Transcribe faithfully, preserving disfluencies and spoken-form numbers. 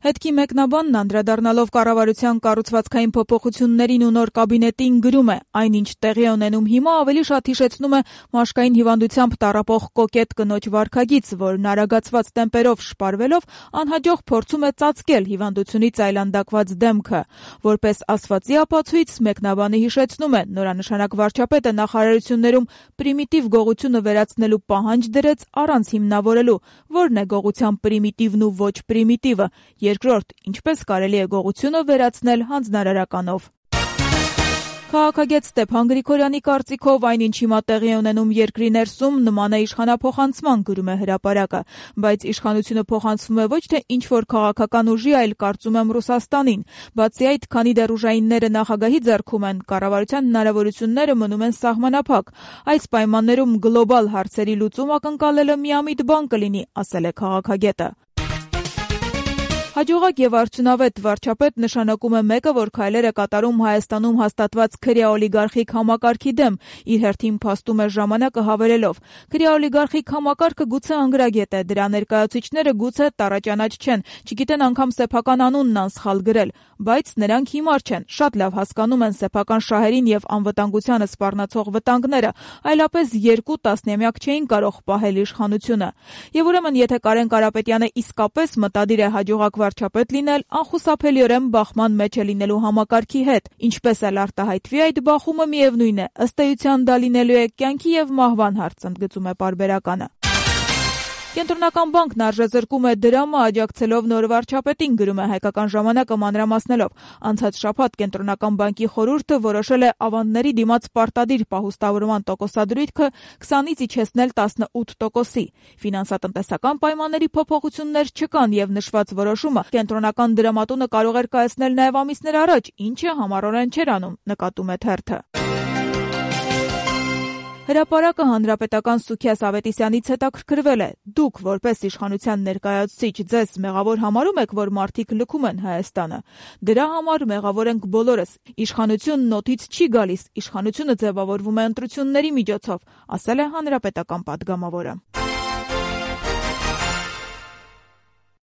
Հետքի մեկնաբանն անդրադառնալով կառավարության կառուցվածքային փոփոխություններին ու նոր կաբինետին գրում է. այնինչ տեղի է ունենում հիմա ավելի շատ հիշեցնում է մաշկային հիվանդությամբ տառապող կոկետ կնոջ վարքագիծ, որն արագացված տեմպերով շպարվելով անհաջող փորձում է ծածկել հիվանդությունից այլանդակված դեմքը։ Որպես ասվածի ապացույց մեկնաբանը հիշեցնում է, նորանշանակ վարչապետը նախարարություններում պրիմիտիվ գողությունը վերացնելու պահանջ դրեց առանց հիմնավորելու, որն է գողության պրիմիտիվն ու ոչ պրիմիտիվը։ Երկրորդ, ինչպես կարելի է գողությունը վերացնել հանձնարարականով։ Քաղաքագետ Ստեփան Գրիգորյանի կարծիքով այնինչ հիմա տեղի է ունենում երկրի ներսում նման է իշխանափոխանցման, գրում է Հրապարակը, բայց իշխանությունը փոխանցվում է ոչ թե ինչ-որ քաղաքական ուժի, այլ կարծում եմ Ռուսաստանին։ Բացի այդ, քանի դեռ ուժայինները նախագահի ձեռքում են, կառավարության հնարավորությունները մնում են սահմանափակ։ Այս պայմաններում գլոբալ հարցերի լուծում ակնկալելը միամիտ բան կլինի, ասել է քաղաքագետը։ Հաջողակ եւ արդյունավետ վարչապետ նշանակում է մեկը, որ քայլեր է կատարում Հայաստանում հաստատված քրեաօլիգարխիկ համակարգի դեմ, իր հերթին փաստում է ժամանակը հավելելով. քրեաօլիգարխիկ համակարգը գուցե անգրագետ է, դրա ներկայացուցիչները գուցե տառաճանաչ չեն, չգիտեն անգամ սեփական անունն անսխալ գրել, բայց նրանք հիմար չեն, շատ լավ հասկանում են սեփական շահերին եւ անվտանգությանը սպառնացող վտանգները, այլապես երկու տասնամյակ չէին կարող պահել իշխանությունը։ Եվ ուրեմն, եթե Կարեն Կարապետյանը իսկապես մտադիր է հաջողակ վարչապետ լինել, անխուսափելիորեն բախման մեջ է լինելու համակարգի հետ, ինչպես էլ արտահայտվի այդ բախումը, միևնույն է, ըստ էության դա լինելու է կյանքի եւ մահվան հարց, ընդգծում է պարբերականը։ Կենտրոնական բանկն արժեզրկում է դրամը աջակցելով նոր վարչապետին, գրում է Հայկական ժամանակը մանրամասնելով։ Անցած շաբաթ Կենտրոնական բանկի խորհուրդը որոշել է ավանդների դիմաց պարտադիր պահուստավորման տոկոսադրույթը քսանից իջեցնել տասնութ տոկոսի։ Ֆինանսատնտեսական պայմանների փոփոխություններ չկան եւ նշված որոշումը կենտրոնական դրամատունը կարող էր կայացնել նաեւ ամիսներ առաջ, ինչը համառորեն չէր անում, նկատում է թերթը։ Հրապարակը հանրապետական Սուքիաս Ավետիսյանից հետաքրքրվել է. դուք որպես իշխանության ներկայացուցիչ ձեզ մեղավոր համարում եք, որ մարդիկ լքում են Հայաստանը։ Դրա համար մեղավոր ենք բոլորս։ Իշխանությունն օդից չի գալիս, իշխանությունը ձևավորվում է ընտրությունների միջոցով, ասել է հանրապետական պատգամավորը։